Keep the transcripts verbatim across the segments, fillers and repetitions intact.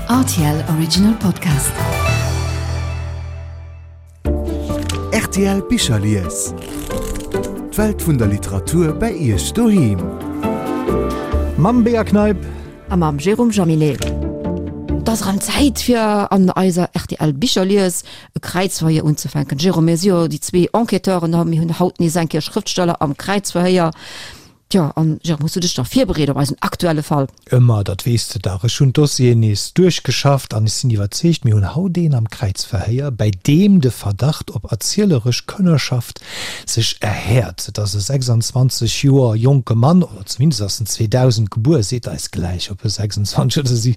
R T L Original Podcast. R T L Bicherlies. D'Welt vun der Literatur bei Iech doheem. Mam Bea Kneip. A mam Jérôme Jaminet. Et ass erëm Zäit fir an eiser R T L Bicherlies e Kräizverhéier unzefänken. Jérôme, mir si jo déi zwee Enquêteuren a mir hunn haut nees eng Kéier Schrëftsteller am Kräizverhéier. Tjo, an Jérôme, hues du dech da virbereet op eisen aktuelle Fall? Ëmmer, dat weess de dach. Ech hunn d'Dossieren nees duerchgeschafft an ech sinn iwwerzeegt, mir hunn haut een am Kräizverhéier, bäi deem de Verdacht op erzieleresch Kënnerschaft sech erhäert. Et ass e sechsanzwanzeg Joer jonke Mann, oder zumindest ass en zweedausend gebuer, seet eis gläich, ob e sechsanzwanzeg oder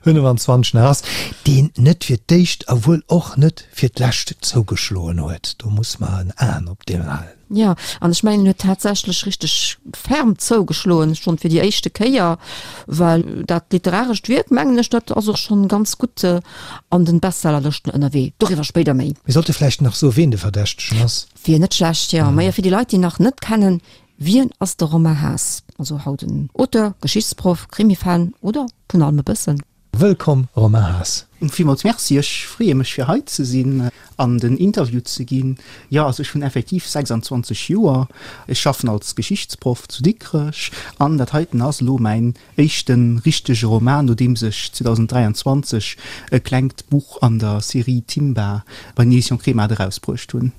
fënnefenzwanzeg nach ass, deen net fir d'éischt a wuel och net fir d'lescht zougeschloen huet. Do muss mer en Aen op deen halen. Jo, an ech mengen, en huet tatsächlech richteg ferm zougeschloen, schonn fir déi éischte Kéier, well dat literarescht Wierk, mengen ech, dat ass och schonn ganz gutt an den Bestsellerlëschten ënnerwee. Doriwwer spéider méi. Mir sollte vläicht nach soen, ween de Verdächtegen ass. Wier net schlecht, jo. Majo, fir déi Leit, déi nach net kennen, wien ass de Romain Haas? Also haut en Auteur, Geschichtsproff, Krimifan oder vun allem e bëssen? Wëllkomm Romain Haas. Villmools Merci, ech freeë mech fir hei ze sinn an den Interview ze ginn. Jo, also ech hunn effektiv sechsanzwanzeg Joer, ech schaffen als Geschichtsproff zu Dikrech an dat heiten ass elo mäin éischte richtege Roman, nodeems ech zweedausenddräianzwanzeg e klengt Buch an der Serie Timba bei den Editions Kremart erausbruecht hunn.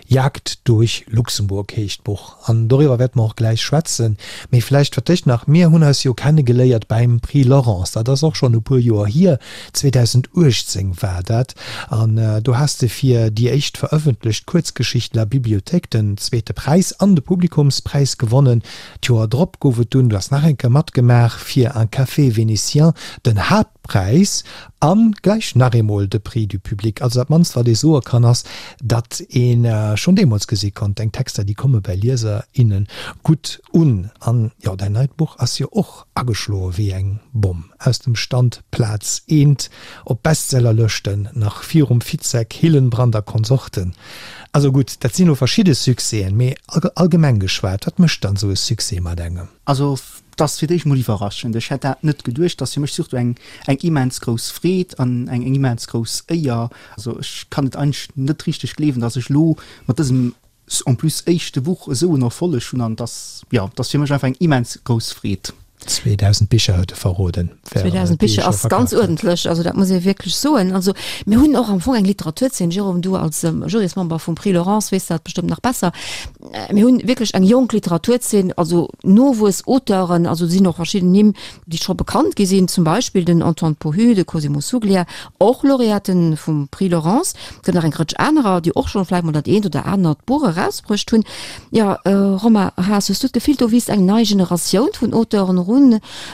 Jagd durch Luxemburg heescht d'Buch an doriwwer wäerte mer och gläich schwätzen. Mee vläicht fir d'éischt nach, Mir hunn eis jo kennegeléiert beim Prix Laurence, dat ass och schonn e puer Joer hier, zweedausenduechtzéng war dat, an do has de fir déi éischt verëffentlecht Kuerzgeschicht La Bibliothèque den zweete Präis an de Publikumspräis gewonnen. D'Joer drop gouf et dunn, du has nach eng Kéier matgemaach, fir Un café vénitien den Haaptpräis an gläich nach eemol de Prix du public. Also dat mannst wat ee soe kann ass, datt ee schonn deemools gesi konnt, deng Texter déi komme bei Lieser, innen gutt un. An jo, däin neit Buch ass jo och ageschloe wéi eng Bomm, aus dem Stand, Plaz eent op Bestsellerlëschten, nach virum Fitzek, Hillenbrand a Konsorten. Also gutt, dat sinn elo verschidde Succèsen, mee allgemeng geschwat, wat mécht dann esou e Succès mat engem? Also 't ass fir d'éischt mol iwwerraschend. Ech hätt dat net geduecht. 't ass fir mech surtout eng eng immens grouss Freed an eng eng immens grouss Éier. Also ech kann et eigentlech net richteg gleewen, dass ech elo mat dësem en plus éischte Buch esou en Erfolleg hunn an 't ass, jo, 't ass fir mech einfach eng immens grouss Freed. zweedausend Bicher huet e verroden, zweedausend Bicher ass ganz uerdentlech, also dat muss ee wierklech soen. Also mir hunn och am Fong eng Literaturzeen, Jérôme, du als Jurysmember vum Prix Laurence weess dat bestëmmt nach besser, mir hunn wierklech eng jonk Literaturzeen, also Nowuess-Auteuren, also do sinn och verschidden Nimm, déi scho bekannt gi sinn, zum Beispill den Antoine Pohu, de Cosimo Suglia, och Laureaten vum Prix Laurence. Et gëtt nach eng Rëtsch anerer, déi och schonn vläicht mol dat eent oder anert Buch erausbruecht hunn. Jo, Romain Haas, hues du d'Gefill, do wiisst eng nei Generatioun vun Auteuren erun?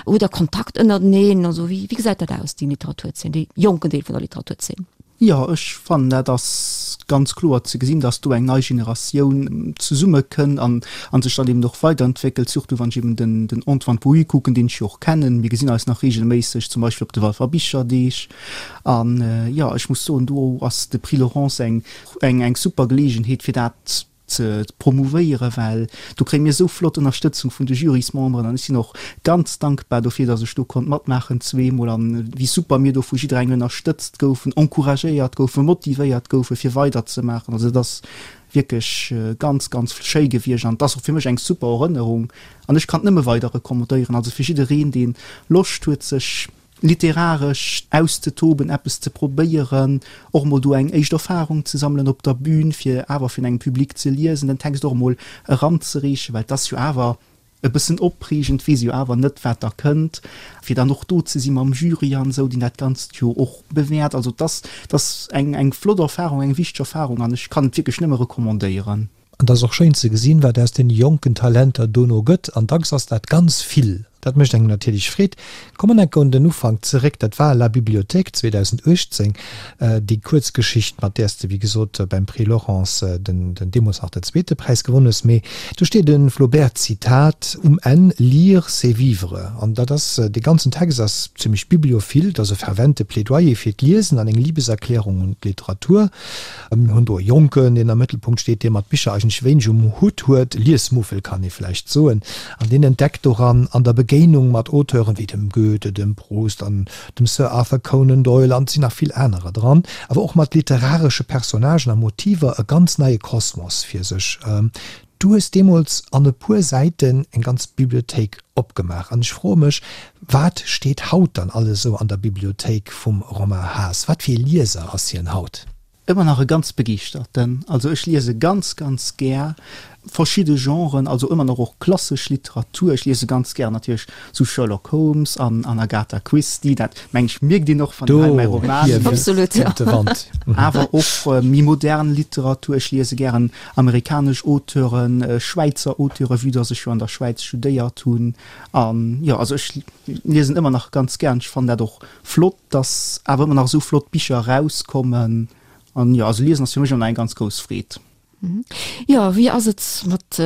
Hutt Der Kontakt ënnerteneen? Also wéi gesäit dat aus, déi Literaturzeen, dee jonken Deel vun der Literaturzeen? Jo, ech fannen dat ass ganz kloer ze gesinn, dass do eng nei Generatioun zesummekënn an a sech dann eben och weiderentwéckelt, surtout wann ech eben den den Antoine Pohu kucken, deen ech jo och kennen. Mir gesinn eis nach reegelméisseg, zum Beispill op de Walfer Bicherdeeg. An jo, ech muss soen, do ass de Prix Laurence eng eng eng super Geleegenheet fir dat ze promouvéieren, well do kréie mir esou flott Ënnerstëtzung vun de Jurysmemberen an ech sinn och ganz dankbar dofir, dass ech do konnt matmaachen zweemol an wéi super mir do vu jidderengem ënnerstëtzt goufen, encouragéiert goufen, motivéiert goufen, fir weiderzemaachen. Also et ass wierklech ganz, ganz schéi gewiescht an et ass och fir mech eng super Erënnerung an ech kann et nëmme weider recommandéieren. Also fir jiddereen, dee Loscht huet, sech literaresch auszetoben, eppes ze probéieren, och emol do eng éischt Erfahrung ze sammelen op der Bühn, fir awer virun engem Public ze liesen, den Text och emol eranzereechen, well et ass jo awer e bëssen opreegend, weess jo awer net, wat da kënnt, fir dann och do ze si mam Jury an esou, deen dat Ganzt jo och bewäert. Also et ass, et ass eng, eng flott Erfahrung, eng wichteg Erfahrung an ech kann et wierklech nëmme recommandéieren. An et ass och schéin ze gesinn, wat aus deene jonken Talenter dono gëtt. An dacks ass dat ganz vill. Dat mécht engem natierlech Freed. Kommen enke un den Ufank zeréck. Dat war La Bibliothèque zweedausenduechtzéng, déi Kuerzgeschicht, mat där s de, wéi gesot, beim Prix Laurence den, den deemools nach den zweete Präis gewonnen hues. Mee do steet e Flaubert-Zitat um Enn, Lire, c'est vivre. An dat ass, dee ganzen Text ass zimmlech bibliophil. Et ass e fervente Plädoyer fir d'Liesen an eng Libeserklärung un d'Literatur. Mir hunn do e Jonken, deen am Mëttelpunkt steet, dee mat Bicher eigentlech wéineg um Hutt huet, Liesmuffel kann ee vläicht soen, an deen entdeckt doran an der Begéinung Begéinung mat Auteuren wéi dem Goethe, dem Proust an dem Sir Arthur Conan Doyle, an et sinn nach vill anerer dran, awer och mat literaresche Personnagen a Motiver e ganz neie Kosmos fir sech. Du hues deemools an e puer Säiten eng ganz Bibliothéik opgemaach an ech froe mech, wat steet haut dann alles esou an der Bibliothéik vum Romain Haas? Wat fir ee Lieser ass hien haut? Ëmmer nach e ganz begeeschterten. Also ech liese ganz, ganz gär verschidde Genren, also ëmmer nach och klassesch Literatur. Ech liese ganz gär natierlech sou Sherlock Holmes an an Agatha Christie, dat meng ech mierkt een och wann een hei mäi Roman liest. Absolut, jo. Awer och méi modern Literatur. Ech liese gären amerikanesch Auteuren, Schwäizer Auteure vue dass ech jo an der Schwäiz studéiert hunn. An jo, also ech liesen ëmmer nach ganz gär an ech fannen dat och flott, dass awer ëmmer nach esou flott Bicher erauskommen. An jo, also liesen ass fir mech ëmmer eng ganz grouss Freed. Jo, wéi ass et mat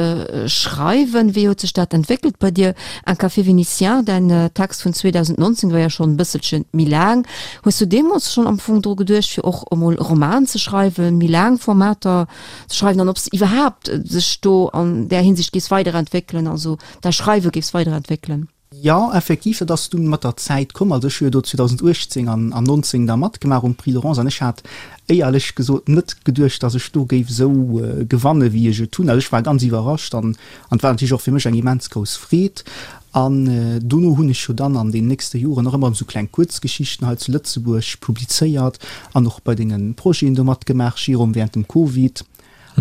Schreiwen? Wéi huet sech dat entwéckelt bei dir? Un café vénitien, däin Text vun zweedausendnonzéng war jo schonn e bësselche méi laang. Hues du deemools schonn am Fong dru geduecht, fir och emol e Roman ze schreiwen, méi laang Formater ze schreiwen an ob s de iwwerhaapt sech do an där Hinsicht géifs weiderentwéckelen, also däi Schreiwe géifs weiderentwéckelen? Jo, effektiv, dat ass dunn mat der Zäit komm. Also ech hu jo do zweedausendachtzéng an nonzéng da matgemaach um Prix Laurence an ech hat éierlech gesot net geduecht, datt ech do géif esou gewanne wéi ech et hunn. Also ech war ganz iwwerrascht an an et war natierlech och fir mech eng immens grouss Freed. An dono hunn ech jo dann an den nächste Joren och ëmmer erëm esou kleng Kuerzgeschichten hei zu Lëtzebuerg publizéiert an och bei denge Projeten do matgemaach, Jérôme, während dem Covid.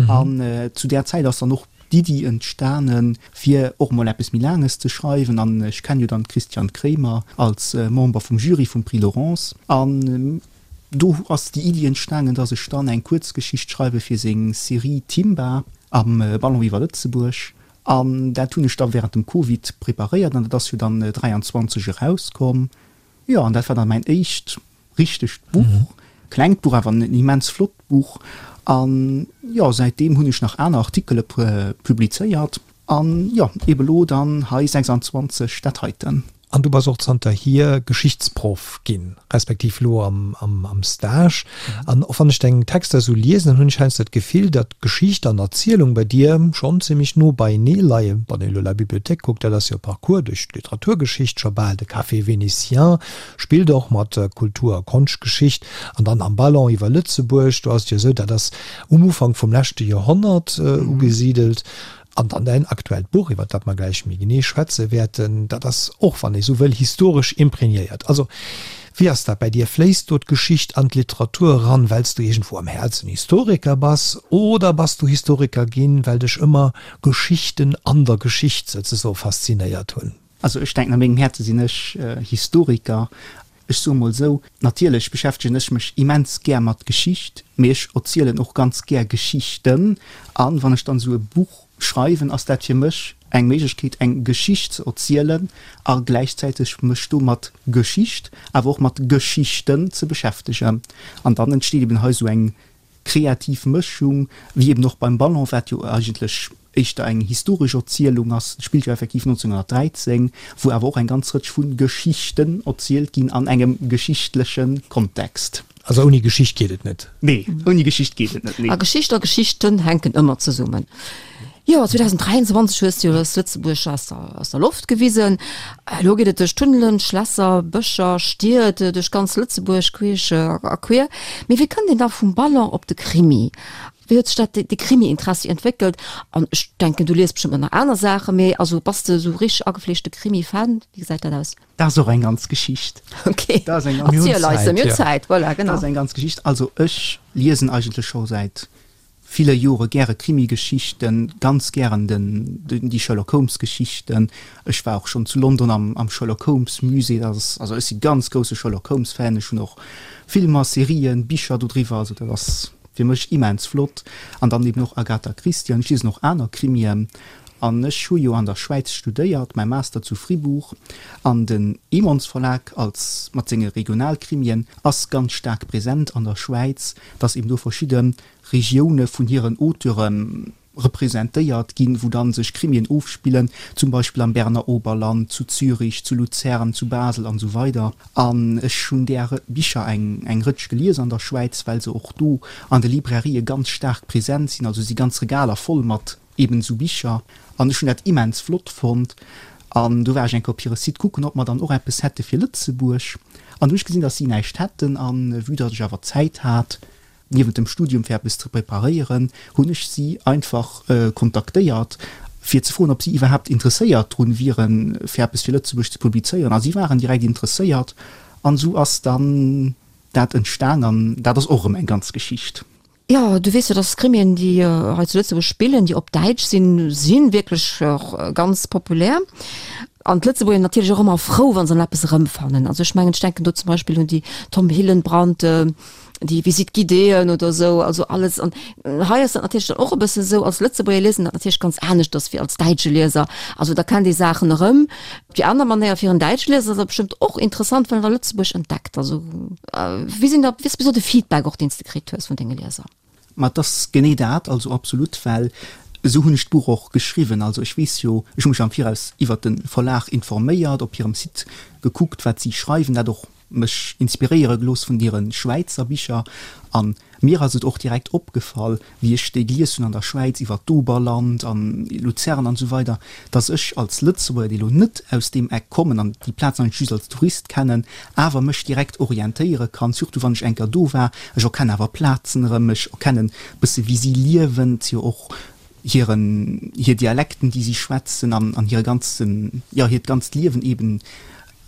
An zu där Zäit ass dann och d'Iddi entstanen, fir och mol eppes méi Laanges ze schreiwen. An ech kennen jo dann d'Christiane Kremer als Member vum Jury vum Prix Laurence. An do ass déi Iddi entstanen, dass ech dann eng Kuerzgeschicht schreiwe fir seng Serie Timba am Ballon iwwer Lëtzebuerg. An dat hunn ech da während dem Covid preparéiert an dat ass jo dann dräianzwanzeg erauskomm. Jo, an dat war dann mäin éischt richtegt Buch, klengt Buch, awer en immens flott Buch. An jo, säitdeem hunn ech nach aner Artikele publizéiert. An jo, ebe lo dann hei sechsanzwanzeg dat heiten. An du bass och zanterhier Geschichtsproff ginn, respektiv lo am Stage. An och wann ech deng Texter esou liesen, dann hunn ech heiansdo d'Gefill, datt Geschicht an Erzielung bei dir schonn zimmlech no beienee leien. Wann een elo La Bibliothèque kuckt, dat ass jo e Parcours duerch d'Literaturgeschicht, scho bal de Café Vénitien spillt och mat Kultur a Konschtgeschicht. An dann am Ballon iwwer Lëtzebuerg, do ass et jo esou, dat ass um Ufank vum leschte Joerhonnert ugesidelt. An dann däin aktuellt Buch, iwwer dat mer gläich méi genee schwätze wäerten, dat ass och, wann ee sou wëll, historesch imprégnéiert. Also, wéi ass dat bäi dir? Fléisst do d'Geschicht an d'Literatur eran, well s du iergendwou am Häerzen Historiker bass, oder bass du Historiker ginn, well dech ëmmer Geschichten an der Geschicht souzesoe faszinéiert hunn? Also ech denken, a mengem Häerze sinn ech Historiker. Ech soe mol esou, natierlech beschäftegen ech mech immens gär mat Geschicht, mee ech erzielen och ganz gär Geschichten. A wann ech dann esou e Buch schreiwen, ass dat fir mech eng Méiglechkeet, eng Geschicht ze erzielen a gläichzäiteg mech do mat Geschicht, awer och mat Geschichten ze beschäftegen. An dann entsteet eben hei esou eng kreativ Mëschung, wéi eben och beim Ballon, wat jo eigentlech éischter eng historesch Erzielung ass, spillt jo effektiv nonzénghonnertdräizéng, wou awer och eng ganz Rëtsch vu Geschichten erzielt ginn an engem geschichtleche Kontext. Also ouni Geschicht geet et net? Nee, ouni Geschicht geet et net, nee. A Geschicht a Geschichten hänken ëmmer zesummen. Jo, zweedausenddräianzwanzeg hues du jo eis Lëtzebuerg aus der, aus der Loft gewisen. Elo geet et duerch Tunnelen, Schlässer, Bëscher, Stied, duerch ganz Lëtzebuerg queesch a queer. Mee wéi kënnt een da vum Ballon op de Krimi? Wéi huet sech dat, dee Krimi-Interessi entwéckelt? An ech denken, du lies bestëmmt nach aner Saachen, mee also bass de esou richteg agefleeschte Krimi-Fan? Wéi gesäit dat aus? Dat ass och eng ganz Geschicht. Ok, Dat ass eng ganz erziel eis se, mir hunn Zäit, voilà, genau. Dat ass eng ganz Geschicht. Also ech liesen eigentlech scho säit ville Jore gäre Krimigeschichten, ganz gären den, déi Sherlock Holmes Geschichten. Ech war och schonn zu London am, am Sherlock Holmes Musée. Dat ass, also ech si ganz grousse Sherlock Holmes Fan. Ech hunn och Filmer, Serien, Bicher dodriwwer. Also dat ass fir mech immens flott. An dann eben och Agatha Christie an ech liesen och aner Krimien. An ech hu jo an der Schwäiz studéiert, mäi Master zu Fribourg. An den Emons Verlag als, mat senge Regionalkrimien ass ganz staark present an der Schwäiz, dass eben do verschidde Regioune vun hiren Auteure representéiert ginn, wou dann sech Krimien ofspillen, zum Beispill am Berner Oberland, zu Zürich, zu Luzern, zu Basel an esou weider. An ech hunn där Bicher eng eng Rëtsch gelies an der Schwäiz, well se och do an de Librairië ganz staark present sinn, also si ganz Regaler voll mat eben esou Bicher. An ech hunn dat immens flott fonnt. An du war ech eng Kéier op hire Site kucken, ob mer dann och eppes hätte fir Lëtzebuerg. An du hu ech gesinn, dass si näischt hätten. An vue datt ech awer Zäit hat, niewent dem Studium fir eppes ze preparéieren, hunn ech si einfach kontaktéiert, fir ze froen, ob si iwwerhaapt interesséiert drun wieren, fir eppes fir Lëtzebuerg ze publizéieren. A si waren direkt interesséiert. An esou ass dann dat entstan. An dat ass och erëm eng ganz Geschicht. Jo, du weess jo, dass Krimien, déi hei zu Lëtzebuerg spillen, déi op Däitsch sinn, si wierklech och ganz populär. An d'Lëtzebuerger natierlech och ëmmer frou, wa se an eppes erëmfannen. Also ech mengen, ech denken do zum Beispill un déi Tom Hillenbrand, déi Visite guidéeën oder esou, also alles. An hei ass dat natierlech dann och e bëssen esou, als Lëtzebuerger liest een dat natierlech ganz aneschters wéi als däitsche Lieser. Also da kennt ee Saachen erëm. Op déi aner Manéier, fir en däitsche Lieser ass dat bestëmmt och interessant, well en da Lëtzebuerg entdeckt. Also wéi sinn da, wéi ass bis elo de Feedback och, deen s de kritt hues vun denge Lieser? Ma et ass genee dat, also absolut, well esou hunn ech d'Buch och geschriwwen. Also ech weess jo, ech hu mech am Viraus iwwert de Verlag informéiert, op hirem Site gekuckt, wat si schreiwen, dat och mech inspiréiere gelooss vun hire Schwäizer Bicher. A mir ass et och direkt opgefall, wéi ech déi gelies hunn an der Schwäiz iwwer d'Oberland an Luzern an esou weider, dass ech als Lëtzebuerger, dee lo net aus deem Eck kommen an déi Plazen eigentlech just als Tourist kennen, awer mech direkt orientéiere kann, surtout wann ech eng Kéier do war. Ech erkennen awer Plazen erëm, ech erkennen e bësse wéi si liewen, et si jo och hiren, hir Dialekten, déi si schwätzen an an hire ganzen, jo, hiert ganzt Liewen eben,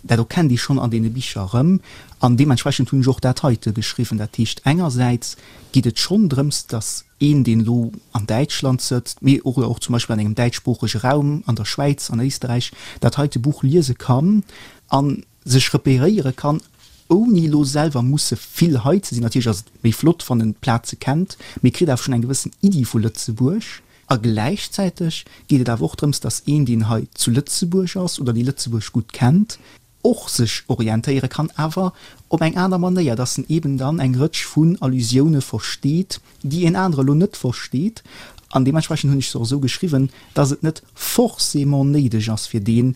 dat erkennt ee schonn an deene Bicher erëm. An deementsprechend hunn ech och dat heite geschriwwen. Dat heescht, engersäits geet et schonn drëms, datt een, deen elo an Däitschland sëtzt, mee och och zum Beispill an engem däitschsproochege Raum, an der Schwäiz, an Éisterräich, dat heite Buch liese kann a sech repéréiere kann, ouni elo selwer musse vill hei ze sinn. Natierlech ass et méi flott, wann en d'Plaze kennt, mee kritt awer schonn eng gewëssen Iddi vu Lëtzebuerg. A gläichzäiteg geet et awer och drëms, datt een, deen hei zu Lëtzebuerg ass oder dee Lëtzebuerg gutt kennt, och sech orientéiere kann, awer op eng aner Manéier, datt en eeben dann eng Rëtsch vun Allusioune versteet, déi een anere elo net versteet. An deementsprechend hunn ech se och esou geschriwwen, datt et net forcément néideg ass fir deen,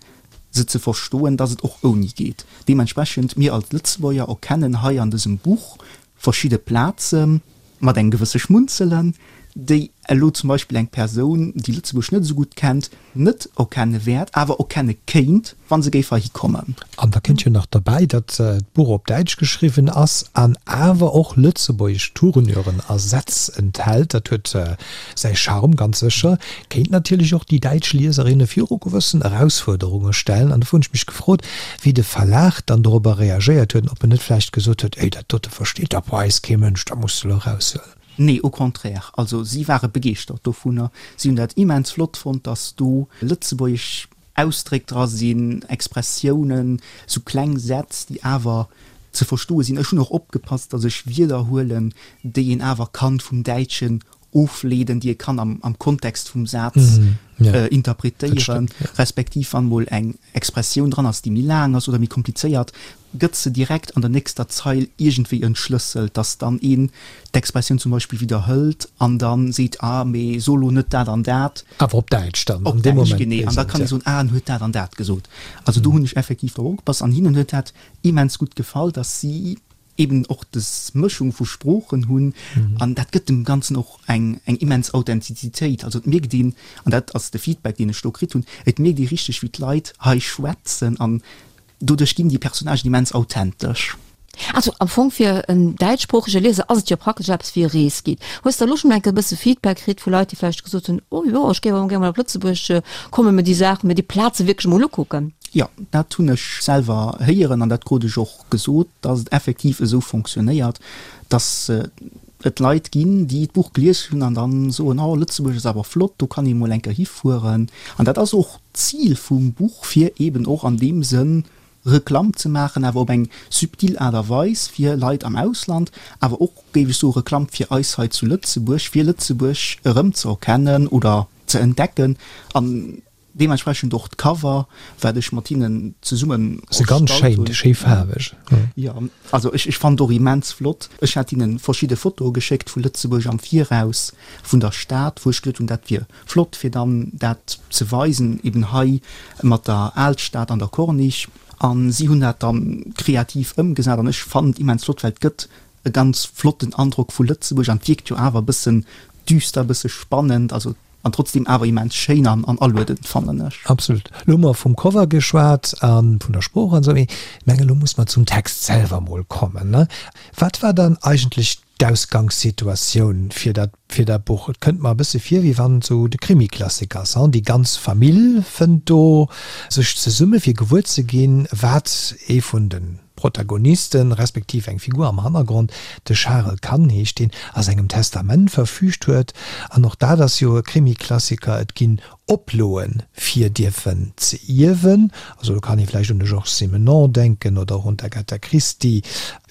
se ze verstoen, datt et och ouni geet. Deementsprechend, mir als Lëtzebuerger erkennen hei an dësem Buch verschidde Plazen, mat engem gewësse Schmunzelen, déi elo zum Beispill eng Persoun, déi Lëtzebuerg net esou gutt kennt, net erkenne wäert, awer erkenne kéint, wa se géif heihi kommen. An da kënnt jo nach derbäi, datt d'Buch op Däitsch geschriwwen ass an awer och lëtzebuergesch Tournuren a Sätz enthält. Dat huet säi Charme, ganz sécher. Kéint natierlech och déi däitsch Lieserinne viru gewëssen Erausfuerderunge stellen. An dofir hunn ech mech gefrot, wéi de Verlag dann dorobber reagéiert huet an ob en net vläicht gesot huet, Ey, dat dote versteet dach bei eis kee Mënsch, dat muss de elo eraushuelen. Nee, au contraire. Also si ware begeeschtert dovunner. Si hunn dat immens flott fonnt, datt do lëtzebuergesch Ausdréck dra sinn, Expressiounen, sou kleng Sätz, déi awer ze verstoe sinn. Ech hunn och opgepasst, datt ech Wierder huelen, déi een awer kann vum Däitschen ofleeden, déi ee kann am Kontext vum Saz interpretéieren, respektiv wann mol eng Expressioun dran ass, déi méi laang ass oder méi komplizéiert, gëtt se direkt an der nächster Zeil iergendwéi entschlësselt, dass dann een d'Expressioun zum Beispill widderhëlt an da seet, ah, mee so lo net dat an dat. Awer op Däitsch dann an deem Moment. Genee, an da kann ee soen, ah, en huet dat an dat gesot. Also do hunn ech effektiv drop opgepasst an hinnen huet dat immens gutt gefall, dass si eben och des Mëschung vu Sproochen hunn an dat gëtt dem Ganzen och eng eng immens Authentizitéit. Also et mierkt een, an dat ass de Feedback, deen ech do kritt hunn, et mierkt ee richteg, wéi d'Leit hei schwätzen an doduerch ginn déi Personnagen immens authentesch. Also am Fong fir en däitschsproochege Lieser ass et jo praktesch eppes wéi e Reesguide. Hues de elo schonn enke bësse Feedback kritt vu Leit, déi vläicht gesot hunn, oh jo, ech géif awer gär mol op Lëtzebuerg kommen, mir déi Saachen, mir déi Plaze wierklech emol ukucken? Jo, dat hunn ech selwer héieren an dat krut ech och gesot, dass et effektiv esou fonctionnéiert, dass et Leit ginn, déi d'Buch gelies hunn an dann soen, oh Lëtzebuerg ass awer flott, do kann ee mol eng Kéier hifueren. An dat ass och d'Zil vum Buch, fir eeben och an deem Sënn Reklamm ze maachen, awer op eng subtil Aart a Weis fir Leit am Ausland, awer och, géif ech soen, Reklamm fir eis hei zu Lëtzebuerg, fir Lëtzebuerg erëmzeerkennen oder ze entdecken. An Deementsprechend och d'Cover, wat ech mat hinnen zesummen Se ganz erstallt schéin, hunn. schéi faarweg. Jo, also ech ech fannen et och immens flott. Ech hat hinnen verschidde Fotoe geschéckt vu Lëtzebuerg am Viraus, vun der Stad, wou ech geduet hunn, dat wier flott fir dann dat ze weisen, eben hei mat der Alstad an der Corniche. An si hunn dat dann kreativ ëmgesat an ech fannen et immens flott, well et gëtt e ganz flotten Androck vu Lëtzebuerg an et wierkt jo awer e bëssen düster, e bësse spannend. Also an trotzdem awer immens schéin an an aluedend, fannen ech. Absolut. Lo hu mer vum Cover geschwat a vun der Sprooch an esou, mee ech mengen, elo muss mer zum Text selwer mol kommen, ne? Wat war dann eigentlech d'Ausgangssituatioun fir dat, fir dat Buch? Et kënnt mer e bësse vir, wéi wann et esou de Krimi-Klassik ass, hein? Déi ganz Famill fënnt do sech zesumme fir gewuer ze ginn, wat ee vun de Protagonisten, respektiv eng Figur am Hannergrond, de Charel Kann heescht deen, a sengem Testament verfüügt huet. An och dat ass jo e Krimi-Klassiker, et ginn Oploen, fir dierfen ze ierwen. Also do kann ee vläicht un de Georges Simenon denken oder och un d'Agatha Christie.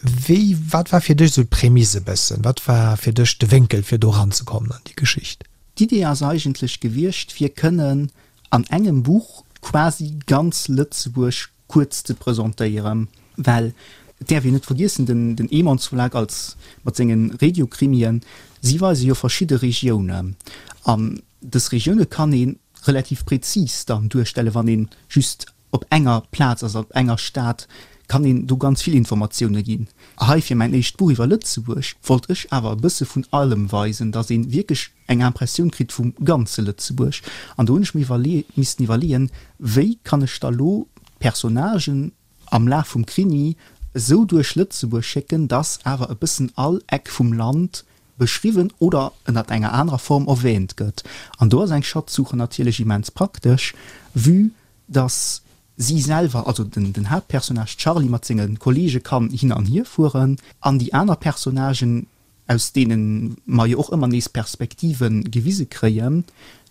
Wéi, wat war fir dech esou d'Prämisse e bëssen? Wat war fir dech de Wénkel, fir do eranzekommen an déi Geschicht? D'Idee ass eigentlech gewiescht, fir kënnen an engem Buch quasi ganz Lëtzebuerg kuerz ze presentéieren, well et däerf een net vergiessen, den den Emons Verlag als mat senge Regiokrimien, si weise jo verschidde Regiounen an dës Regioune kann ee relativ prezis dann duerstellen, wann ee just op enger Plaz ass, op enger Stad, kann een do ganz vill Informatioune ginn. Hei fir mäin éischt Buch iwwer Lëtzebuerg wollt ech awer e bësse vun allem weisen, datt ee wierklech eng Impressioun kritt vum ganze Lëtzebuerg. An do hunn ech mir iwwerlee missten iwwerleeën, wéi kann ech da lo d'Personnagen am Laf vum Krimi esou duerch Lëtzebuerg schécken, dass awer e bëssen all Eck vum Land beschriwwen oder ënnert enger anerer Form erwähnt gëtt. An do ass eng Schatzsuche natierlech immens praktesch, vue dass si selwer, also den Haaptpersonnage Charly mat senge Kollege kann hin an hier fueren an déi aner Personnagen, aus deene mer jo och ëmmer nees Perspektive gewise kréien,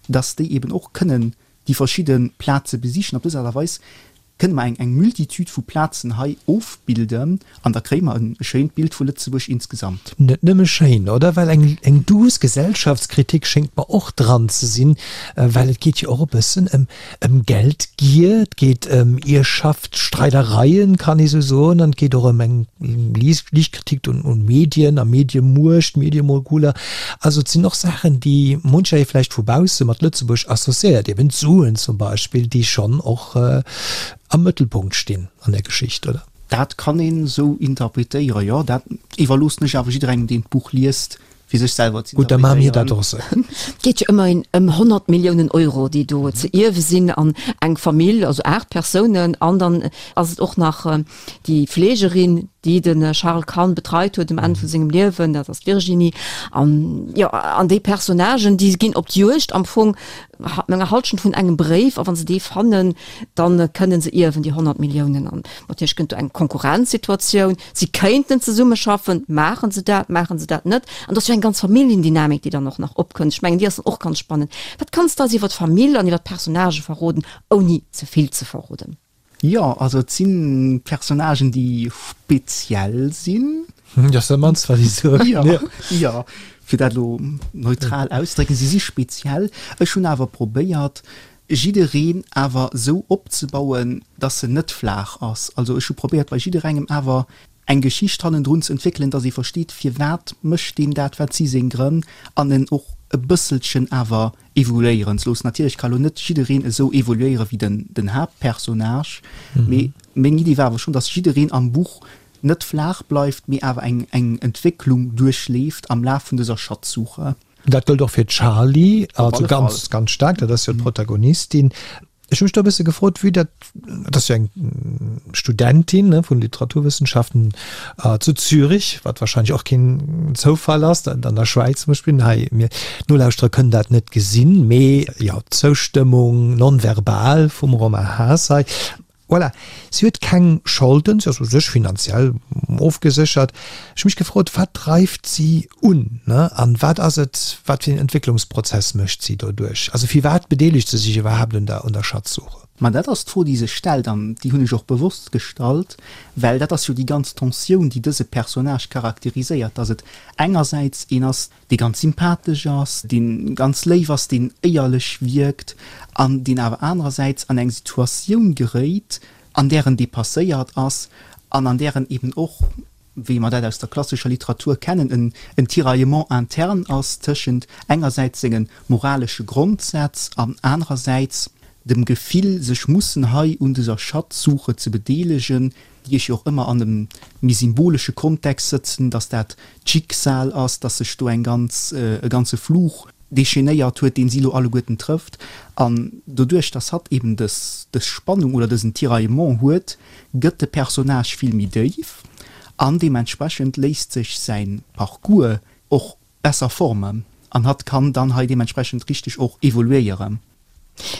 dass déi eben och kënnen déi verschidde Plaze besichen. Op dës Aart a Weis kënne mer eng eng Multitude vu Plazen hei ofbilden an da kréie mer e schéint Bild vu Lëtzebuerg insgesamt. Net nëmme schéin, oder? Well eng eng douce Gesellschaftskritik schéngt mer och dran ze sinn, well et geet jo och e bëssen ëm ëm Geldgier, et geet ëm Ierfschaftsstreidereien, kann ee sou soen, an et geet och ëm eng liicht Kritik un un Medien a Mediemuecht, Mediemoguler. Also et sinn och Saachen, déi muncher ee vläicht vu bausse mat Lëtzebuerg associéiert, eben d'Suen zum Beispill, déi schonn och am Mëttelpunkt stinn an der Geschicht, oder? Dat kann een esou interpretéieren, jo. Dat iwwerloossen ech awer jidderengem, deen d'Buch liest, fir sech selwer ze Gutt, da maache mir dat och esou. Et geet jo ëmmerhin ëm honnert Milliounen Euro, déi do ze ierwe sinn an eng Famill, also aacht Persounen, an dann ass et och nach déi Fleegerin, déi de Charles Kahn betreit huet um Enn vu sengem Liewen, dat ass d'Virginie. An jo, an déi Personnagen, déi ginn op d'Juegd am Fong no enger Halschent vun engem Bréif, a wa se dee fannen, da kënne se ierwen, déi honnert Milliounen. An natierlech kënnt do eng Konkurrenzsituatioun, si kéinten zesummeschaffen, maache se dat, maache se dat net? An do ass jo eng ganz Familljendynamik, déi dann och nach opkënnt. Ech mengen, déi ass dann och ganz spannend. Wat kanns de eis iwwer d'Famill an iwwer d'Personnagë verroden, ouni ze vill ze verroden? Jo, also et si Personnagen, déi speziell sinn. Dat ass dat mannst, wat ech soen. Jo, jo, fir dat elo neutral auszedrécken, si si speziell. Ech hunn awer probéiert, jiddereen awer esou opzebauen, dass en net flaach ass. Also ech hu probéiert, bei jidderengem awer eng Geschicht hannendrun ze entwéckelen, dass ee versteet, firwat mécht deen dat, wat si seng Grënn, an en och e bësselchen awer evoluéieren ze loossen. Natierlech ka lo net jiddereen esou evoluéiere wéi den den Haaptpersonnage, mee meng Iddi war awer schonn, dass jiddereen am Buch net flaach bleift, mee awer eng eng Entwécklung duerchleeft am Laf vun dëser Schatzsuche. Dat gëllt och fir d'Charlie, also ganz ganz staark, dat ass jo d'Protagonistin. Ech hu mech do e bësse gefrot, vue dat, dat ass jo eng Studentin, ne, vun Literaturwëssenschaften zu Zürich, wat wahrscheinlech och keen Zoufall ass, dat an der Schwäiz zum Beispill. Hei, mir Nolauschterer kënnen dat net gesinn, mee jo, d'Zoustëmmung non-verbal vum Romain Haas hei. Voilà, si huet keng Scholden, si ass u sech finanziell ofgeséchert. Ech hu mech gefrot, wat dreift si un, ne? An wat ass et, wat fir een Entwécklungsprozess mécht si doduerch? Also firwat bedeelegt se sech iwwerhaapt un der, un der Schatzsuche? Ma dat ass d'Fro, déi sech stellt, an déi hunn ech och bewosst gestallt, well dat ass jo déi ganz Tensioun, déi dëse Personnage charakteriséiert, dass et engersäits een ass, dee ganz sympathesch ass, dee ganz léif ass, deen éierlech wierkt an deen awer anerersäits an eng Situatioun geréit, an där en dépasséiert ass an an där en eben och, wéi mer dat aus der klassescher Literatur kennen, en en Tiraillement interne ass tëschent engersäits senge moralesche Grondsätz an anerersäits dem Gefill, sech mussen hei un dëser Schatzsuche ze bedeelegen, déi ech jo och ëmmer an e méi symbolesche Kontext sëtzen, dass dat d'Schicksal ass, dass sech do eng ganz, e ganze Fluch déchainéiert huet, deen si elo alleguerten trëfft. An doduerch, dass hatt eben dës, dës Spannung oder dësen Tiraillement huet, gëtt de Personnage vill méi déif an deementsprechend léisst sech säi Parcours och besser formen an hatt kann dann hei deementsprechend richteg och evoluéieren.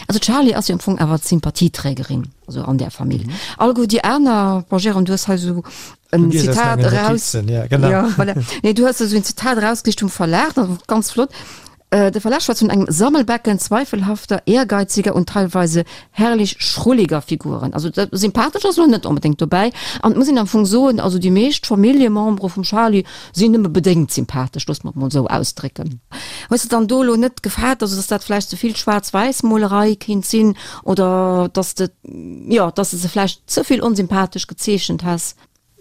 Also d'Charlie ass jo am Fong awer d'Sympathieträgerin, also an där Famill. Alleguer déi aner, bon Jérôme, du hues hei esou en Zitat eraus, ja voilà, nee du hues esou en Zitat erausgesicht vum Verlag, dat ass ganz flott, De Verlag schwätzt vun engem Sammelbecken zweifelhafter, ehrgeiziger und teilweise herrlich schrulliger Figuren. Also sympathesch ass elo net onbedéngt dobäi. An et muss een am Fong soen, also déi meescht Familljemembere vum Charlie sinn nëmme bedéngt sympathesch, loosse mer et mol esou ausdrécken. Hues de dann do elo net gefaart, also dass dat vläicht ze vill Schwaarz-Wäiss-Molerei kéint sinn oder dass de, jo, dass de se vläicht ze vill onsympathesch gezeechent häss?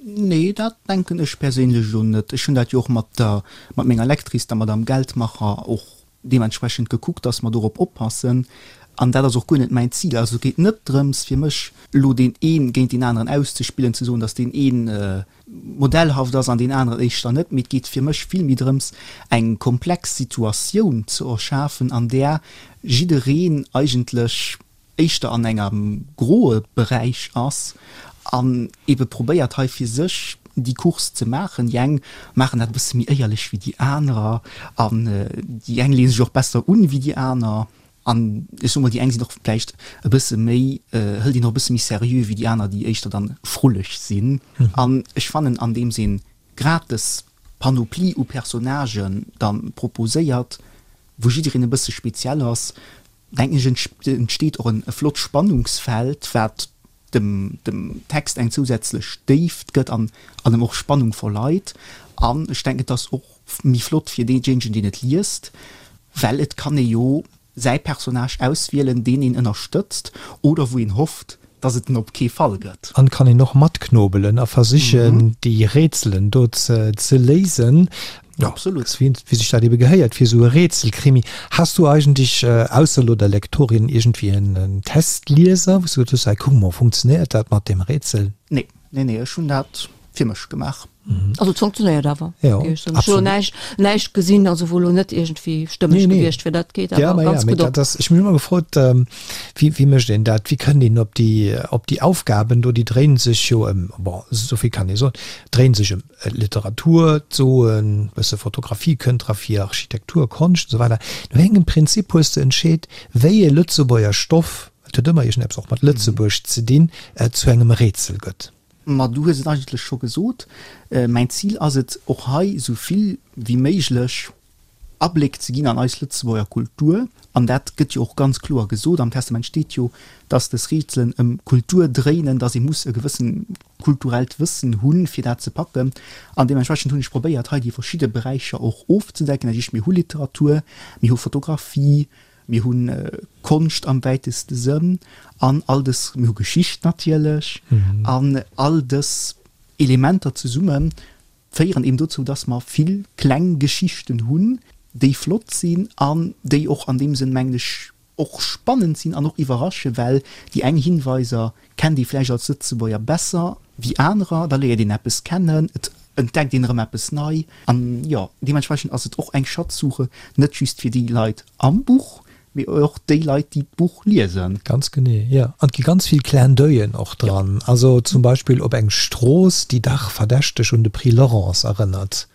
Nee, dat denken ech perséinlech elo net. Ech hunn dat jo och mat der, mat menger Lectrice, der Madame Geldmacher, och deementsprechend gekuckt, dass mer dorop oppassen. An dat ass och guer net mäin Zil. Also et geet net drëms fir mech elo deen ee géint deen aneren auszespillen, ze soen, dass deen een modellhaft ass an deen aneren éischter net, mee et geet fir mech vill méi drëms, eng komplex Situatioun ze erschafen, an där jiddereen eigentlech éischter an engem groe Beräich ass an ebe probéiert hei fir sech déi Course ze maachen. Déi eng maachen dat e bësse méi éierlech wéi déi anerer an déi eng leeë sech och besser un wéi déi aner. An ech soe mol, déi eng sinn och vläicht e bësse méi, hëlt een och e bësse méi seriö wéi déi aner, déi éischter dann frulleg sinn. An ech fannen, andeems een grad dës Panoplie u Personnagen da proposéiert, wou jiddereen e bësse speziell ass, denken ech, entsteet och e flott Spannungsfeld, wat dem Text eng zousätzlech Déift gëtt an em och Spannung verleit. An ech denken, et ass och méi flott fir deejéinegen, deen et liest, well et kann ee jo säi Personnage auswielen, deen een ënnerstëtzt oder wou een hofft, dass et en op kee Fall gëtt. An kann een och matknobelen a versichen, déi Rätselen do ze léisen. Jo, Absolut. wéi sech dat ebe gehéiert fir esou e Rätselkrimi. Has du eigentlech, ausser elo der Lektorin, iergendwéi en Testlieser, wou s du gesot hues, hei kuck mol, funktionéiert dat mat deem Rätsel? Nee, nee, nee, ech hunn dat fir mech gemaach. Also et funktionéiert awer. Jo, Ech hunn absolut. näischt, näischt gesinn, also wou elo net iergendwéi stëmmeg Nee, nee. gewiescht wier. Dat geet Ja, awer ma ja, ganz mee gutt op. dat ass, ech hunn mech ëmmer gefrot, wéi, wéi mécht een dat? Wéi kënnt een op déi, op déi Aufgaben do? Déi dréinen sech jo ëm, bon, esou vill kann ee soen, dréinen sech ëm Literatur, d'Soen, bësse Fotografie kënnt dra vir, Architektur, Konscht an esou weider. No wéi engem Prinzip hues de entscheet, wéi ee Lëtzebuerger Stoff, et huet ëmmer iergendeppes och mat Lëtzebuerg ze dinn, zu engem Rätsel gëtt? Ma du hues et eigentlech scho gesot, mäin Zil ass et, och hei esou vill wéi méiglech Abléck ze ginn an eis Lëtzebuerger Kultur. An dat gëtt jo och ganz kloer gesot, am Testament steet jo, dass dës Rätselen ëm Kultur dréinen, dass ee muss e gewëssen kulturellt Wëssen hunn, fir dat ze packen. An deementsprechend hunn ech probéiert, hei déi verschidde Beräicher och ofzedecken. Dat heescht, mir hu Literatur, mir hu Fotografie, Mir hu Konscht am wäiteste Sënn an all dës, mir hu Geschicht natierlech, an all dës Elementer zesumme féieren eben dozou, dass mer vill kleng Geschichten hunn, déi flott sinn an déi och an deem Sënn, mengen ech, och spannend sinn an och iwwerrasche, well déi eng Hinweiser kennt ee vläicht als Lëtzebuerger besser wéi anerer, da léiert een eppes kennen, et entdeckt een erëm eppes nei an jo, deementsprechend ass et och eng Schatzsuche, net just fir déi Leit am Buch, mee och déi Leit, déi d'Buch liesen. Ganz genee, jo. An et gi ganz vill Clin d'oeil'en och dran, also zum Beispill op eng Strooss, déi dach verdächteg un de Prix Laurence erënnert.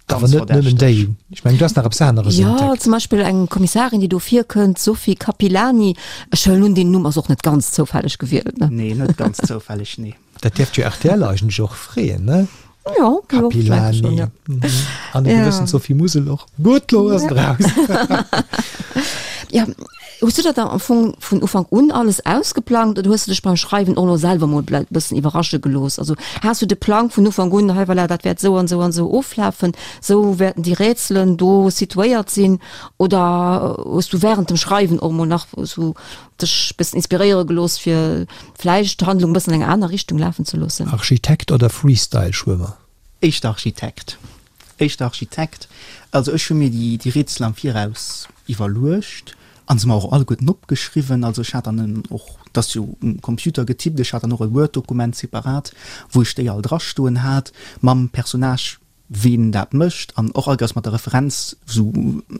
Awer Ganz net nëmmen déi. verdächteg. Ech mengen, du has nach eppes aneres Jo, entdeckt. zum Beispill eng Kommissarin, déi do virkënnt, d'Sophie Capilani. Ech huelen un, deen Numm ass och net ganz zoufälleg gewielt, ne? Nee, net ganz zoufälleg, nee. Dat dierft jo rtl eigentlech och freeën, ne? Jo, jo, ech denke schonn, Capilani. ja. An e Ja. gewëssen Sophie Musel och. Gutt, lo ass et raus. Ja, hues du dat dann am Fong vun Ufank un alles ausgeplangt oder hues du dech beim Schreiwen och elo selwer mol e bëssen iwwerrasche gelooss? Also has du de Plang vun Ufank un, hei voilà, dat wäert esou an esou an esou oflafen, esou wäerten déi Rätselen do situéiert sinn oder hues du während dem Schreiwen och mol nach esou dech bëssen inspiréiere gelooss fir vläicht d'Handlung e bëssen an eng aner Richtung lafen ze loossen? Architekt oder Freestyle-Schwëmmer? Éischter Architekt. Éischter Architekt. Also ech hu mir déi déi Rätsel am Viraus iwwerluecht a se mer och alleguerten opgeschriwwen. Also ech hat dann en och, et ass jo um Computer getippt, ech hat dann och e Word-Dokument separat, wou ech déi all drastoen hat, mam Personnage ween dat mécht an och allkéiers mat der Referenz, sou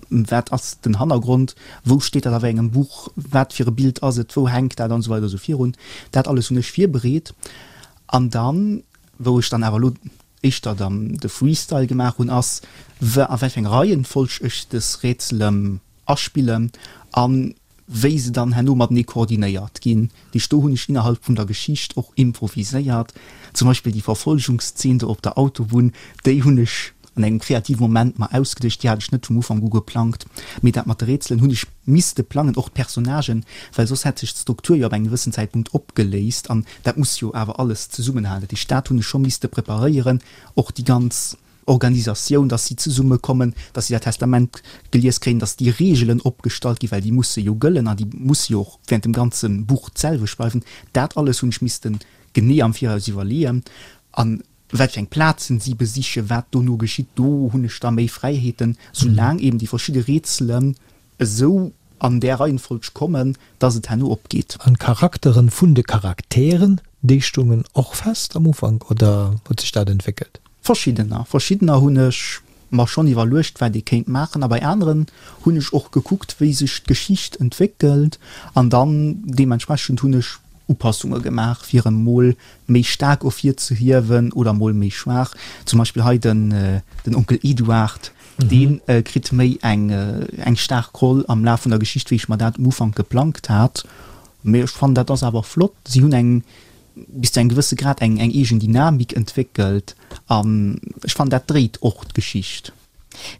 wat ass den Hannergrond, wou steet dat a wéi engem Buch, wat fir e Bild ass et, wou hänkt dat an esou weider esou virun. Dat alles hunn ech virbereet an dann, wou ech dann awer elo éischter dann de Freestyle gemaach hunn, ass a wéi fir eng Reihenfolg ech dës Rätselen aspillen an wéi se dann herno matenee koordinéiert ginn. Déi do hunn ech innerhalb vun der Geschicht och improviséiert. Zum Beispill déi Verfolgungszeen do op der Autobunn, déi hunn ech an engem kreative Moment mer ausgeduecht, déi hat ech net vum Ufank u geplangt. Mee dat mat de Rätselen hunn ech misste plangen, och d'Personnagen, well soss hätt sech d'Struktur jo ab engem gewëssen Zäitpunkt opgeléist an dat muss jo awer alles zesummenhalen. Dat heescht, dat hunn ech scho misste preparéieren, och déi ganz Organisatioun, dass si zesummekommen, dass si dat Testament gelies kréien, dass déi Reegelen opgestallt ginn, well déi musse jo gëllen an déi musse jo och während dem ganze Buch d'selwecht bleiwen. Dat alles hunn ech misste genee am Viraus iwwerleeën. A wat fir eng Plazen si besichen, wat dono geschitt, do hunn ech da méi Fräiheeten, soulaang eben déi verschidde Rätselen esou an där Reihenfolg kommen, dass et herno opgeet. An d'Charakteren vun de Charakteren, déi stungen och fest am Ufank oder huet sech dat entwéckelt? Verschiddener. Verschiddener hunn ech mer schonn iwwerluecht, wat ee kéint maachen, a bei aneren hunn ech och gekuckt, wéi sech d'Geschicht entwéckelt, an dann deementsprechend hunn ech Upassunge gemaach, fir en mol méi staark ervirzehiewen oder mol méi schwaach. Zum Beispill hei den den Onkel Eduard, dee kritt méi eng eng staark Roll am Laf vun der Geschicht, wéi ech mer dat um Ufank geplangt hat. Mee ech fannen, dat ass awer flott. Si hunn eng bis zu engem gewësse Grad eng eng eegen Dynamik entwéckelt an ech fannen dat dréit och d'Geschicht.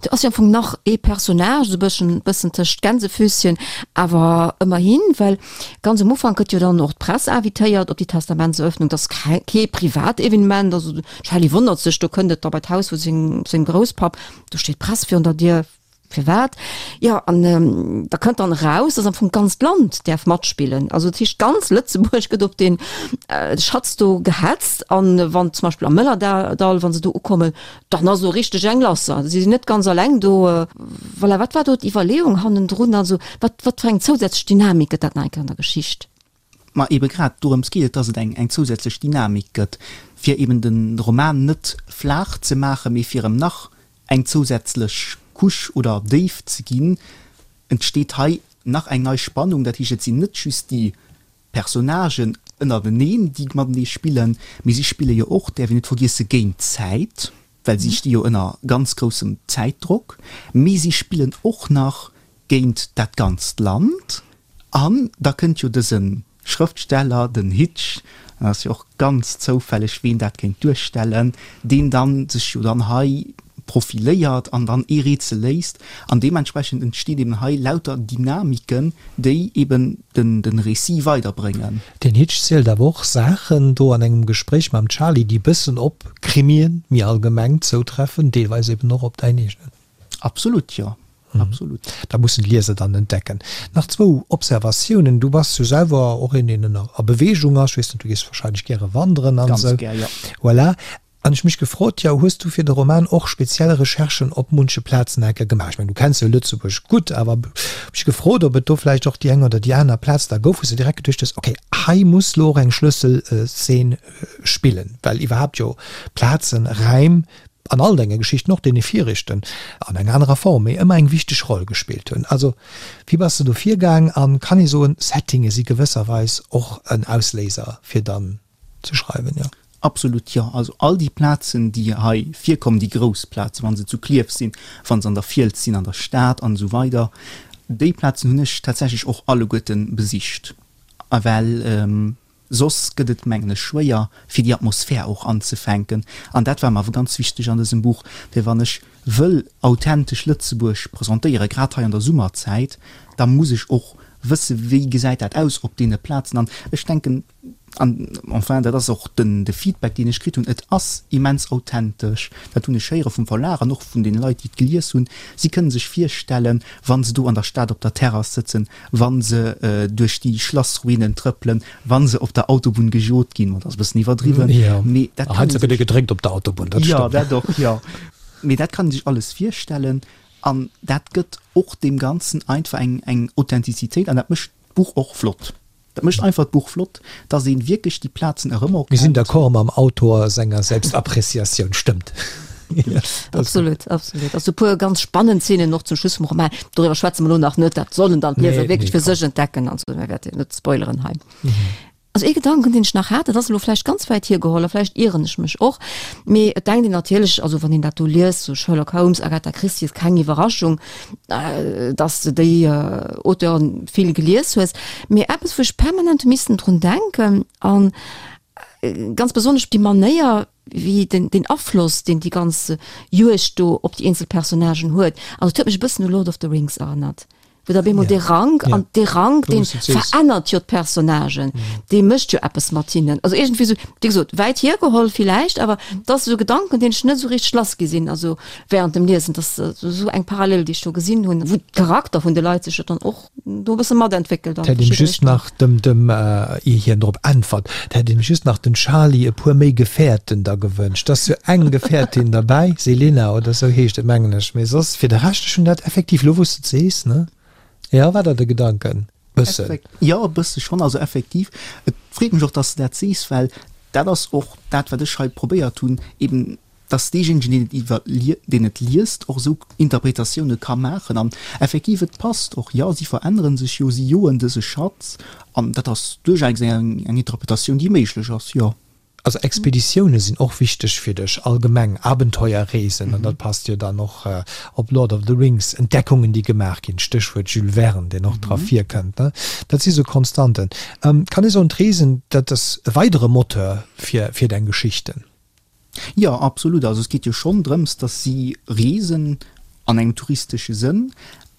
Do ass jo am Fong nach ee Personnage, esou bëssen bëssen tëscht Gänsefüßchen, awer ëmmerhin, well ganz um Ufank gëtt jo dann och d'Press invitéiert op déi Testamentseröffnung, dat ass kee privat Evenement, also d'Shelley wonnert sech, do kënnt et da bei d'Haus vu sengem sengem Grousspapp, do steet d'Press virun der Dier. Firwat? Jo, an da kënnt dann eraus, dass am Fong d'ganzt Land däerf matspillen. Also dat heescht, ganz Lëtzebuerg gëtt op dee Schatz do gehetzt. An wann zum Beispill am Mëllerdall, wa se do ukommen, dann ass esou richteg eng lass. Si sinn net ganz alleng do. Voilà, wat war do d'Iwwerleeung hannendrun? Also wat, wat fir eng zousätzlech Dynamik gëtt dat nach eng Kéier an der Geschicht? Ma ebe grad dorëms geet et, dass et eng zousätzlech Dynamik gëtt, fir eben de Roman net flaach ze maachen, mee fir em nach eng zousätzlech Couche oder Déift ze ginn, entsteet hei nach eng nei Spannung. Dat heescht, et sinn net just déi Personnagen ënnerteneen, déi matenee spillen, mee si spille jo och, däerf een net vergiessen, géint d'Zäit, well si sti jo ënner ganz groussem Zäitdrock, mee si spillen och nach géint dat ganzt Land. An da kënnt jo dëse Schrëftsteller, den Hitch, dat ass jo och ganz zoufälleg, ween dat kéint duerstellen, deen dann sech jo dann hei profiléiert an dann ee Rätsel léist. An deementsprechend entstinn eben hei lauter Dynamiken, déi eben den de Récit weiderbréngen. Den Hitch zielt awer och Saachen do an engem Gespréich mam Charlie, déi bëssen op Krimien méi allgemeng zoutreffen, deelweis eben och op däin eegenen. Absolut, jo. Absolut. Dat mussen d'Lieser dann entdecken. Nach zwou Observatiounen, Du bass jo selwer och een, deen ënner a Beweegung ass. Ech weess net, du gees wahrscheinlech gäre wanderen an Ganz esou. gär, jo. Voilà. An ech mech gefrot, jo, hues du fir de Roman och speziell Recherchen op munche Plazen enke gemaach? Ech mengen, du kenns jo Lëtzebuerg gutt, awer mech gefrot, ob et do vläicht och déi eng oder déi aner Plaz da gouf, wou s de direkt geduecht hues, okay, hei muss lo och eng Schlësselszeen spillen, well iwwerhaapt jo Plazen, Räim an all denge Geschichten, och deene viregten, an enger anerer Form, mee ëmmer eng wichteg Roll gespillt hunn. Also, wéi bass de do virgaang an kann ee soen, Settinge si gewësserweis och en Ausléiser fir dann ze schreiwen, jo? Absolut, jo. Also all déi Plazen, déi hei virkommen, déi grouss Plazen, wa se zu Klierf sinn, wa se an der Fiels sinn, an der Stad an esou weider, déi Plazen hunn ech tatsächlech och alleguerte besicht, well Soss gëtt et, mengen ech, schwéier, fir déi Atmosphär och anzefänken. An dat war mer awer ganz wichteg an dësem Buch, well wann ech wëll authentesch Lëtzebuerg presentéieren, grad hei an der Summerzäit, da muss ech och wësse wéi gesäit dat aus op deene Plazen. An ech denken, an enfin, dat ass och den de Feedback, deen ech kritt hunn, et ass immens authentesch. Dat hunn ech héiere vum Verlag an och vun deene Leit, déi et gelies hunn. Si kënne sech virstellen, wa se do an der Stad op der Terrass sëtzen, wa se duerch déi Schlassruinen trëppelen, wa se op der Autobunn gejot ginn, dat ass e bëssen iwwerdriwwen, mee dat kann ee sech. Heiansdo gëtt e gedrénkt op der Autobunn, dat stëmmt. Jo, dat och, jo. Mee dat kann ee sech alles virstellen an dat gëtt och deem Ganzen einfach eng, eng Authentizitéit an dat mécht d'Buch och flott. Dat mécht einfach d'Buch flott, dass ee wierklech déi Plazen erëmerkennt. Mir sinn d'accord mam Autor senger Selbstappreciatioun, stëmmt. Absolut, absolut. Also e puer ganz spannend Szenen och zum Schluss vum Roman. Doriwwer schwätze mer elo nach net, dat sollen dann d'Lieser wierklech fir sech entdecken. Also mir wäerten net spoileren hei. Also ee Gedanken, deen ech nach hat, dat ass elo vläicht ganz wäit hiergeholl a vläicht ieren ech mech och, mee et denkt een natierlech, also wann een dat do liest, sou Sherlock Holmes, Agatha Christie, ass keng Iwwerraschung, dass de déi Auteuren vill gelies hues. Mee eppes, wou ech permanent hu missen drun denken an ganz besonnesch op déi Manéier, wéi den, den Afloss, deen déi ganz Juegd do op déi eenzel Personnagen huet, also et huet mech e bëssen u Lord of the Rings erënnert, wou da bemol dee Rank, an dee Rank, dee verännert jo d'Personnagen, dee mécht jo eppes mat hinnen. Also iergendwéi esou, wéi gesot, wäit hiergeholl villäicht, awer et ass esou e Gedanken, deen ech net esou richteg lass gi sinn, also während dem Liesen, dass esou eng Parallel, déi ech do gesinn hunn, wou d'Charakter vun de Leit sech jo dann och do e bësse matentwéckelt an 't hätt een verschidde just nach dem, dem, ier hien drop äntwert, 't hätt een just nach den Charly e puer méi Gefährten da gewënscht. 't ass jo eng Gefährtin derbäi, Selena oder sou heescht et, mengen ech, mee soss fir de Rescht, ech hunn dat effektiv, lo wou s de et sees, ne? Jo, war dat de Gedanken? Bëssen. Jo, e bësse schonn, also effektiv. Et freet mech och, dass de dat sees, well dat ass och dat, wat ech hei probéiert hunn, eben dass deejéinegen, deen et iwwer, deen et liest, och esou Interpretatioune ka maachen. An effektiv, et passt och, jo, si verännere sech jo, si joen dëse Schatz, an dat ass duerchaus eng Interpretatioun, déi méiglech ass, jo. Also Expeditioune sinn och wichteg fir dech, allgemeng Abenteuerreesen, an dat passt jo dann och op Lord of the Rings, Entdeckungen, déi gemaach ginn, Stéchwuert Jules Verne, deen och dra virkënnt, ne? Dat si sou Konstanten. Kann ee soen, d'Reesen, dat ass e weidere Moteur fir fir deng Geschichten? Jo, absolut. Also et geet jo schonn drëms, datt si reesen an engem touristesche Sënn,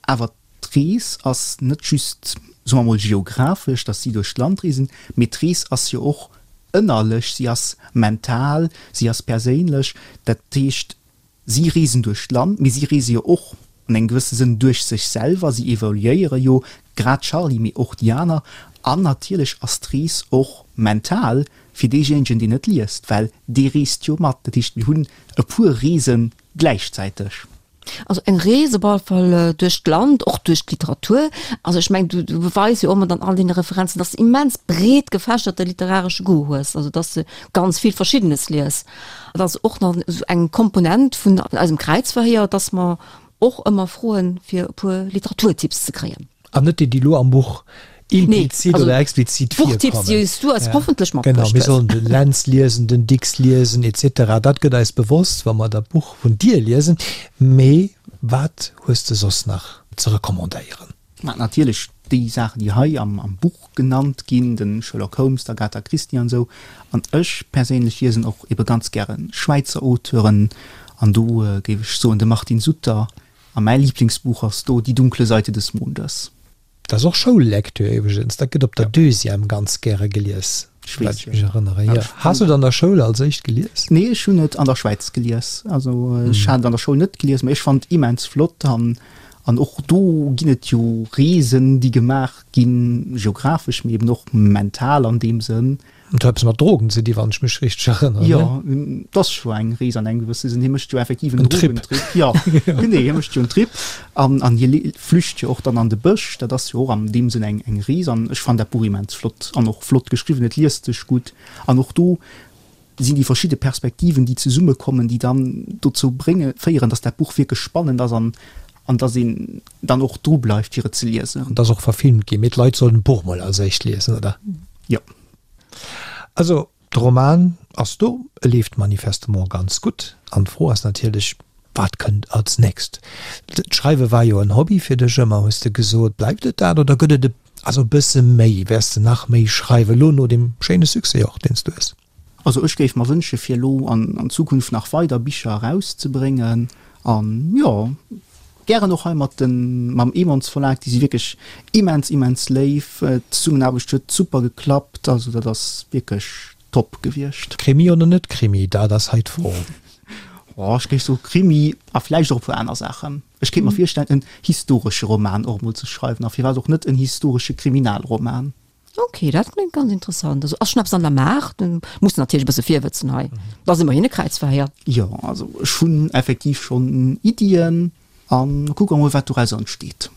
awer d'Rees ass net just, soe mer mol, geographesch, datt si duerch d'Land reesen, mee d'Rees ass jo och ënnerlech, si ass mental, si ass perséinlech. Dat heescht, si reesen duerch d'Land, mee si reese jo och an engem gewësse Sënn duerch sech selwer, si evoluéiere jo, grad d'Charlie, mee och déi aner. An natierlech ass d'Rees och mental fir deejéinegen, deen et liest, well dee reest jo mat. Dat heescht, mir hunn e puer Reese gläichzäiteg. Also eng Rees op alle Fall duerch d'Land, och duerch d'Literatur. Also ech mengen, du beweis jo och mat an all deene Referenzen, dass de immens breet gefächerte literaresche Goût hues, also dass de ganz vill Verschiddenes lies. Dat ass och nach esou eng Komponent vun eisem Kräizverhéier, dass mer och ëmmer froen, fir e puer Literaturtipps ze kréien. An net déi, déi elo am Buch implizit oder explizit virkommen. D'Buchtipps, déi s du eis hoffentlech matbruecht Genau, mir hues. sollen den Lentz liesen, den Dicks liesen, et cetera. Dat gëtt eis bewosst, wa mer dat Buch vun dir liesen. Mee wat hues de soss nach ze recommandéieren? Mä natierlech déi Saachen, déi hei am Buch genannt ginn, de Sherlock Holmes, d'Agatha Christie an esou. An ech perséinlech liesen och ebe ganz gäre Schwäizer Auteuren an do géif ech soen de Martin Sutter. A mäi Liblingsbuch ass do Die dunkle Seite des Mondes. Dat ass och Schoullektür iwwregens, dat gëtt op der Deuxième ganz gäre gelies, wat ech mech erënneren. Jo. Has du et an der Schoul als éischt gelies? Nee, ech hunn et an der Schwäiz gelies. Also ech hat et an der Schoul net gelies, mä ech fannen et immens flott. An an och do ginn et jo Reesen, déi gemaach ginn, geographesch, mee eben och mental an deem Sënn. Et huet eppes mat Drogen ze di, wann ech mech richteg erënneren, ne? Jo, et ass scho eng Rees an engem gewësse Sënn. Hie mécht jo effektiv en Drogentrip. Jo, genee, hie mécht jo en Trip an an hie flücht jo och dann an de Bësch. Dat ass jo och an deem Sënn eng eng Rees an ech fannen dat Buch immens flott an och flott geschriwwen. Et liest sech gutt an och do sinn déi verschidde Perspektiven, déi zesummekommen, déi dann dozou brénge féieren, dass dat Buch wierklech spannend ass an an dass een dann och dru bleift, fir et ze liesen. Et ass och verfilmt ginn, mee d'Leit sollen d'Buch mol als éischt liesen, oder? Jo. Also, de Roman ass do, e leeft manifestement ganz gutt. An d'Fro ass natierlech, Wat kënnt als nächst? D'Schreiwe war jo en Hobby fir dech ëmmer, hues de gesot. Bleift et dat oder gëtt et e also e bësse méi? Wäers de nach méi schreiwen, elo no deem schéine Succès och, deen s du hues? Also ech géif mer wënsche fir elo an Zukunft nach weider Bicher erauszebréngen an jo gären och hei mat den mam Emons Verlag, déi si wierklech immens immens léif, d'Zesummenaarbecht huet super geklappt, also dat ass wierklech top gewiescht. Krimi oder net Krimi, dat ass hei d'Fro. Oh ech géif soe Krimi a vläicht och e puer aner Saachen. Ech kéint mer virstellen en historesche Roman och emol ze schreiwen a firwat och net en historesche Kriminalroman. Ok, dat kléngt ganz interessant. Also ass schon eppes an der Maach? Du muss natierlech e bësse virwëtzen hei. Dat ass ëmmerhin e Kräizverhéier. Jo, also ech hunn effektiv schonn Iddien a kucke mol wat dorauser entsteet.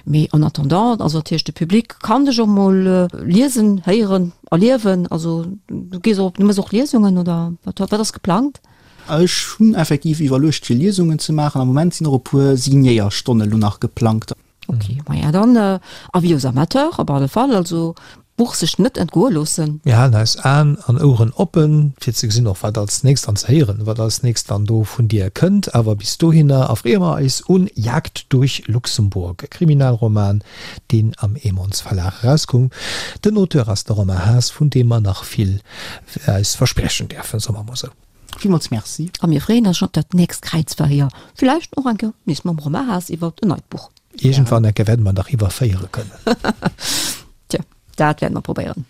Mee en attendant, also dat heescht de Public kann dech och mol liesen, héieren, erliewen. Also du gees och, du méchs och Liesungen oder wat, wat ass geplangt? Ech hunn effektiv iwwerluecht fir Liesungen ze maachen. Am Moment sinn och e puer Signéierstonne lo nach geplangt. Ok, maja dann Avis aux amateurs op alle Fall, also d'Buch sech net entgoe loossen. Mir halen eis Aen an Oueren oppen, fir ze gesinn och wat als nächst an ze héieren, wat als nächst dann do vun dir kënnt. Awer bis dohinner erfreeë mer eis un Jagd durch Luxemburg, e Kriminalroman, deen am Emons Verlag erauskoum. Den Auteur ass de Romain Haas, vun deem mer nach vill eis verspriechen däerfen, soe mer mol sou. Villmools Merci. A mir freeën eis schonn op dat nächst Kräizverhéier, villäicht och eng Kéier nees mam Romain Haas iwwert en neit Buch. Iergendwann eng Kéier wäerte mer dach iwwerféiere kënnen. Tja, dat wäerte mer probéieren.